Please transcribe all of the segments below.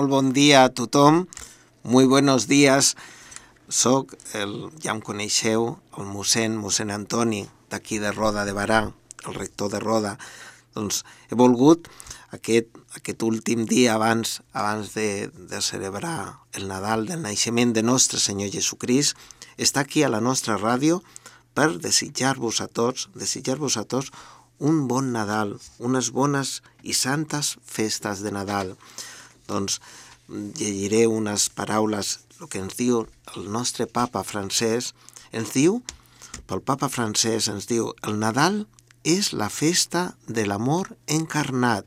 Molt bon dia a tothom, muy buenos días. Soc, ja em coneixeu, el mossèn Antoni, d'aquí de Roda de Barà, el rector de Roda. Doncs he volgut aquest últim dia abans de celebrar el Nadal del naixement de nostre Senyor Jesucrist, estar aquí a la nostra ràdio per desitjar-vos a tots un bon Nadal, unes bones i santes festes de Nadal. Doncs llegiré unes paraules, el que ens diu el nostre papa Francesc. Pel papa Francesc ens diu: el Nadal és la festa de l'amor encarnat,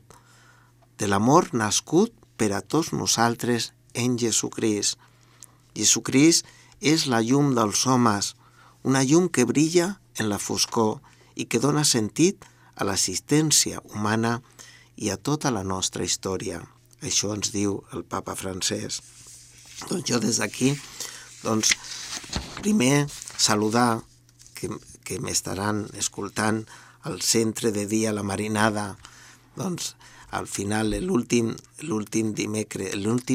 de l'amor nascut per a tots nosaltres en Jesucrist. Jesucrist és la llum dels homes, una llum que brilla en la foscor i que dona sentit a l'assistència humana i a tota la nostra història. Això ens diu el papa Francesc. Doncs jo des d'aquí, primer saludar que m'estaran escoltant al centre de dia La Marinada. Al final, l'últim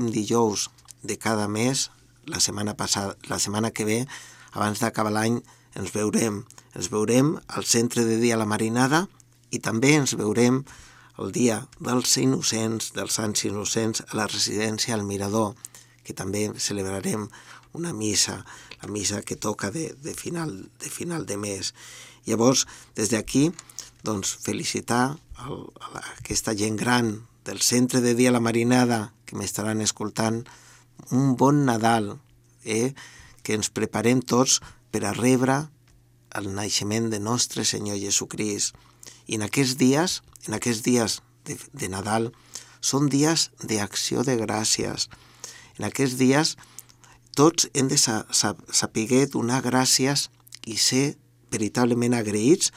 dijous de cada mes, la setmana que ve, abans d'acabar l'any, ens veurem al centre de dia La Marinada i també ens veurem el dia dels innocents, dels sants innocents, a la residència al Mirador, que també celebrarem una missa, la missa que toca de final de mes. Llavors, des d'aquí, felicitar aquesta gent gran del centre de dia La Marinada que m'estaran escoltant, un bon Nadal, que ens preparem tots per a rebre el naixement de nostre Senyor Jesucrist. I en aquests dies de Nadal són dies d'acció de gràcies. En aquests dies tots hem de saber donar gràcies i ser veritablement agraïts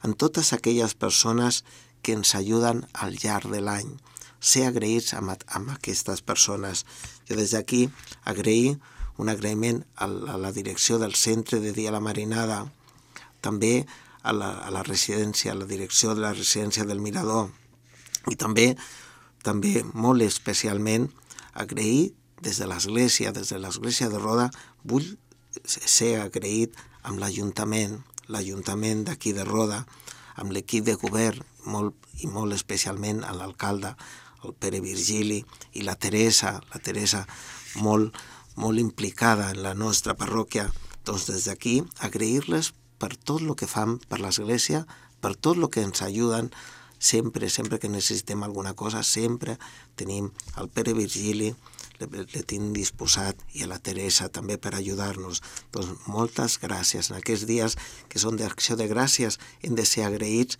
amb totes aquelles persones que ens ajuden al llarg de l'any. Ser agraïts amb aquestes persones. Jo des d'aquí agrair un agraïment a la direcció del centre de dia La Marinada, també a la residència, a la direcció de la residència del Mirador, i també molt especialment agrair des de l'Església de Roda. Vull ser agraït amb l'Ajuntament d'aquí de Roda, amb l'equip de govern, molt especialment a l'alcalde, el Pere Virgili, i la Teresa molt implicada en la nostra parròquia. Doncs des d'aquí agrair-les per tot el que fan per l'Església, per tot el que ens ajuden. Sempre que necessitem alguna cosa, sempre tenim el Pere Virgili, le tinc disposat, i a la Teresa també per ajudar-nos. Doncs moltes gràcies. En aquests dies que són d'acció de gràcies hem de ser agraïts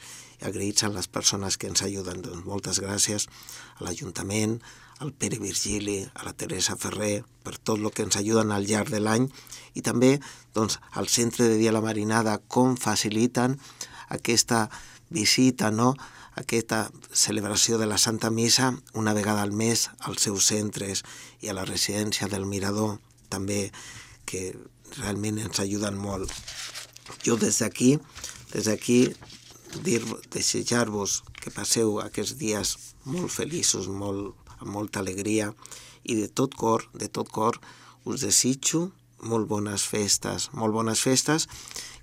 a les persones que ens ajuden. Doncs moltes gràcies a l'Ajuntament, al Pere Virgili, a la Teresa Ferrer, per tot el que ens ajuden al llarg de l'any, i també al centre de dia La Marinada, com faciliten aquesta visita, aquesta celebració de la Santa Missa una vegada al mes als seus centres, i a la residència del Mirador també, que realment ens ajuden molt. Jo des d'aquí desitjar-vos que passeu aquests dies molt feliços, amb molta alegria, i de tot cor us desitjo molt bones festes,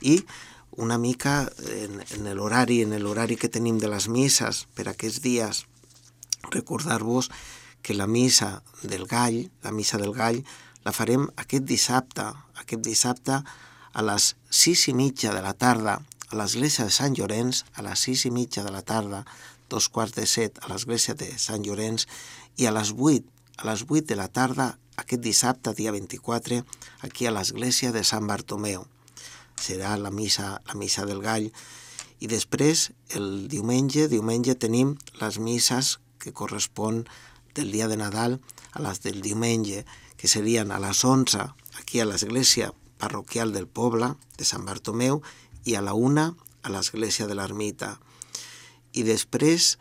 i una mica en l'horari que tenim de les misses per aquests dies, recordar-vos que la missa del Gall, la farem aquest dissabte a les 6:30 de la tarda, a l'església de Sant Llorenç, a les 6:30 de la tarda, 6:45 a l'església de Sant Llorenç, i a les 8 de la tarda, aquest dissabte, dia 24, aquí a l'església de Sant Bartomeu. Serà la missa del Gall. I després, el diumenge tenim les misses que correspon del dia de Nadal a les del diumenge, que serien a les 11 aquí a l'església parroquial del poble de Sant Bartomeu, i a la 1 a l'església de l'Ermita. I després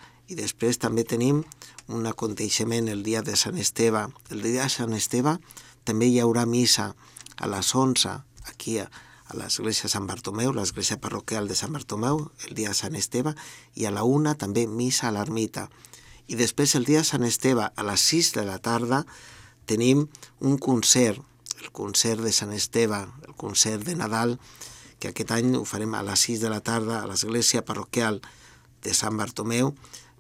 també tenim un aconteixement el dia de Sant Esteve. El dia de Sant Esteve també hi haurà missa a les 11 aquí a l'església de Sant Bartomeu, l'església parroquial de Sant Bartomeu, el dia de Sant Esteve, i a la 1 també missa a l'Ermita. I després el dia de Sant Esteve a les 6 de la tarda tenim un concert, el concert de Sant Esteve, el concert de Nadal, que aquest any ho farem a les 6 de la tarda a l'església parroquial de Sant Bartomeu,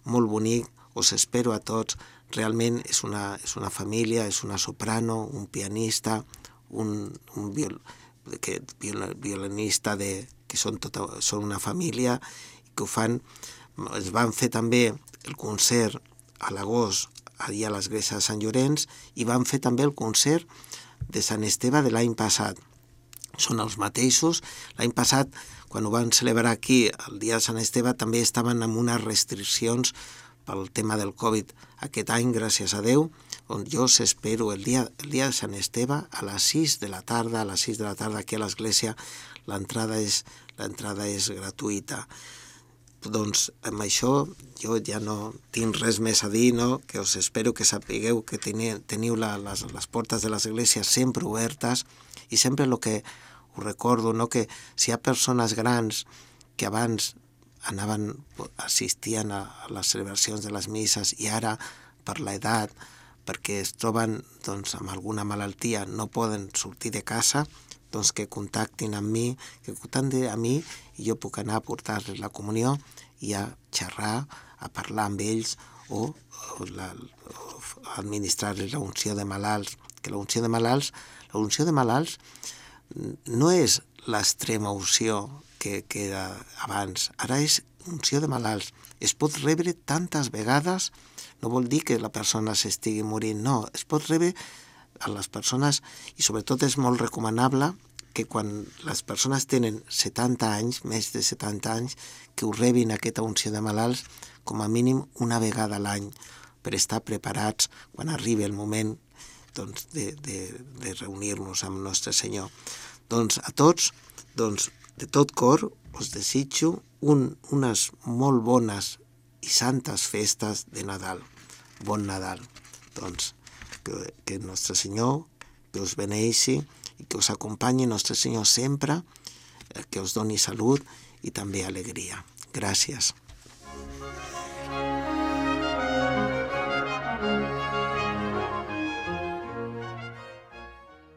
molt bonic, us espero a tots. Realment és una família, és una soprano, un pianista, un violinista que són una família i que ho fan. Es van fer també el concert a l'agost allà a l'església de Sant Llorenç i van fer també el concert de Sant Esteve de l'any passat. Són els mateixos. L'any passat, quan ho van celebrar aquí, el dia de Sant Esteve, també estaven amb unes restriccions pel tema del Covid. Aquest any, gràcies a Déu, on jo us espero el dia de Sant Esteve a les 6 de la tarda, aquí a l'església, l'entrada és gratuïta. Doncs amb això jo ja no tinc res més a dir, no? Que us espero que sapigueu que teniu les portes de les esglésies sempre obertes i sempre el que us recordo, no? Que si hi ha persones grans que abans assistien a les celebracions de les misses i ara per l'edat, perquè es troben amb alguna malaltia, no poden sortir de casa, doncs que contactin amb mi, i jo puc anar a portar-los la comunió i a xerrar, a parlar amb ells o administrar-los l'unció de malalts. Que l'unció de malalts no és l'extrema unció que era abans, ara és unció de malalts. Es pot rebre tantes vegades, no vol dir que la persona s'estigui morint, no, es pot rebre a les persones i sobretot és molt recomanable que quan les persones tenen 70 anys, més de 70 anys, que ho rebin aquesta unció de malalts com a mínim una vegada a l'any per estar preparats quan arribi el moment de reunir-nos amb Nostre Senyor. Doncs a tots, de tot cor, us desitjo unes molt bones i santes festes de Nadal. Bon Nadal. Doncs que Nostre Senyor que us beneixi i que us acompanyi Nostre Senyor sempre, que us doni salut i també alegria. Gràcies.